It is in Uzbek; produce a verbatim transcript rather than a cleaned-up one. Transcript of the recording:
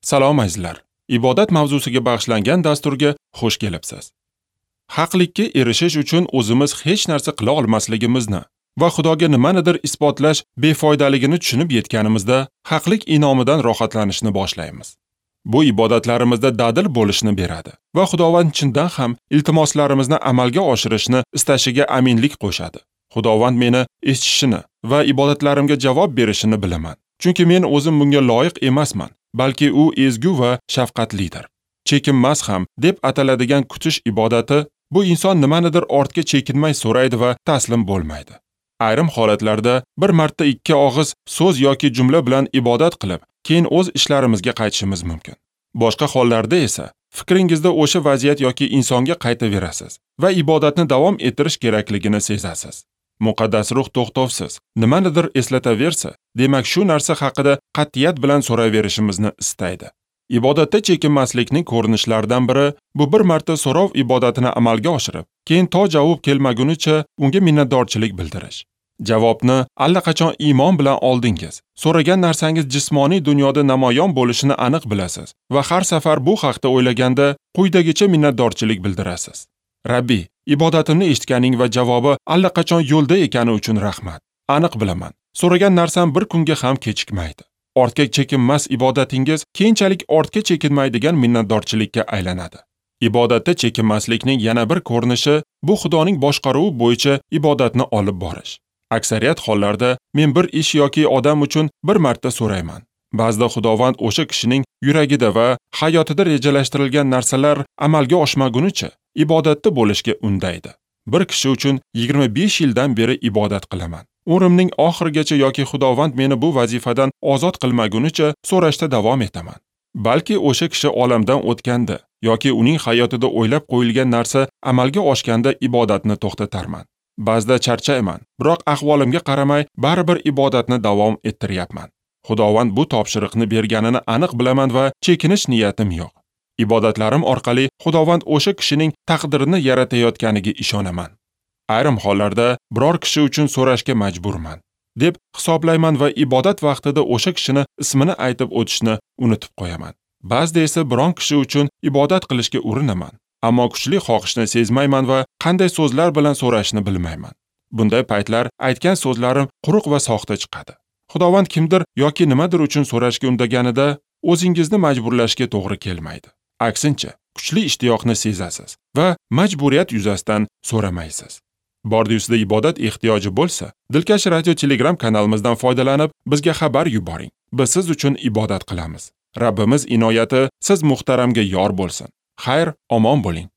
Salom azizlar. Ibodat mavzusiga bag'ishlangan dasturga xush kelibsiz. Haqlikka erishish uchun o'zimiz hech narsa qila olmasligimizni va Xudoga nimanidir isbotlash befoydaligini tushunib yetganimizda haqlik inomidan rohatlanishni boshlaymiz. Bu ibodatlarimizda dadil bo'lishni beradi va Xudovand chindan ham iltimoslarimizni amalga oshirishni istashiga aminlik qo'shadi. Xudovand meni eshitishini va ibodatlarimga javob berishini bilaman. Chunki men o'zim bunga loyiq emasman, balki u ezgu va shafqatlidir. Chekinmas ham deb ataladigan kutish ibodati bu inson nimanidir ortga chekinmay so'raydi va taslim bo'lmaydi. Ayrim holatlarda bir marta ikki og'iz so'z yoki jumla bilan ibodat qilib, keyin o'z ishlarimizga qaytishimiz mumkin. Boshqa hollarda esa fikringizda o'sha vaziyat yoki insonga qaytaverasiz va ibodatni davom ettirish kerakligini sezasiz. Muqaddas ruh to'xtovsiz nimanidir eslataversa, demak shu narsa haqida qat'iyat bilan so'raverishimizni istaydi. Ibodatda chekinmaslikning ko'rinishlaridan biri bu bir marta so'rov ibodatini amalga oshirib, keyin to javob kelmagunicha unga minnatdorchilik bildirish. Javobni allaqachon iymon bilan oldingiz. So'ragan narsangiz jismoniy dunyoda namoyon bo'lishini aniq bilasiz va har safar bu haqda o'ylaganda quyidagicha minnatdorchilik bildirasiz. Rabbi, ibodatimni eshitganing va javobi allaqachon yo'lda ekani uchun rahmat. Aniq bilaman, so'ragan narsam bir kunga ham kechikmaydi. Ortga chekinmas ibodatingiz keyinchalik ortga chekinmaydigan minnatdorchilikka aylanadi. Ibodatda chekinmaslikning yana bir ko'rinishi bu Xudoning boshqaruvi bo'yicha ibodatni olib borish. Aksariyat hollarda men bir ish yoki odam uchun bir marta so'rayman. Ba'zida Xudovand o'sha kishining yuragida va hayotida rejalashtirilgan narsalar amalga oshmagunicha ibodatda bo'lishga undaydi. Bir kishi uchun yigirma besh yildan beri ibodat qilaman. Umrimning oxirigacha yoki Xudovand meni bu vazifadan ozod qilmagunicha so'rashda davom etaman. Balki o'sha kishi olamdan o'tganda yoki uning hayotida o'ylab qo'yilgan narsa amalga oshganda ibodatni to'xtatarman. Ba'zida charchayman, biroq ahvolimga qaramay baribir ibodatni davom ettiryapman. Xudovand bu topshiriqni berganini aniq bilaman va chekinish niyatim yo'q. Ibodatlarim orqali Xudovand o'sha kishining taqdirini yaratayotganiga ishonaman. Ayrim hollarda biror kishi uchun so'rashga majburman deb hisoblayman va ibodat vaqtida o'sha kishini ismini aytib o'tishni unutib qo'yaman. Ba'zida esa biron kishi uchun ibodat qilishga urinaman, ammo kuchli xohishni sezmayman va qanday so'zlar bilan so'rashni bilmayman. Bunday paytlar aytgan so'zlarim quruq va soxta chiqadi. Xudovand kimdir yoki nimadir uchun so'rashga undaganida o'zingizni majburlashga to'g'ri kelmaydi. Aksincha, kuchli ishtiyoqni sezasiz va majburiyat yuzasidan so'ramaysiz. Bordi-yusida ibodat ehtiyoji bo'lsa, Dilkash Radio Telegram kanalimizdan foydalanib, bizga xabar yuboring. Biz siz uchun ibodat qilamiz. Rabbimiz inoyati siz muhtaramga yor bo'lsin. Xayr, omon bo'ling.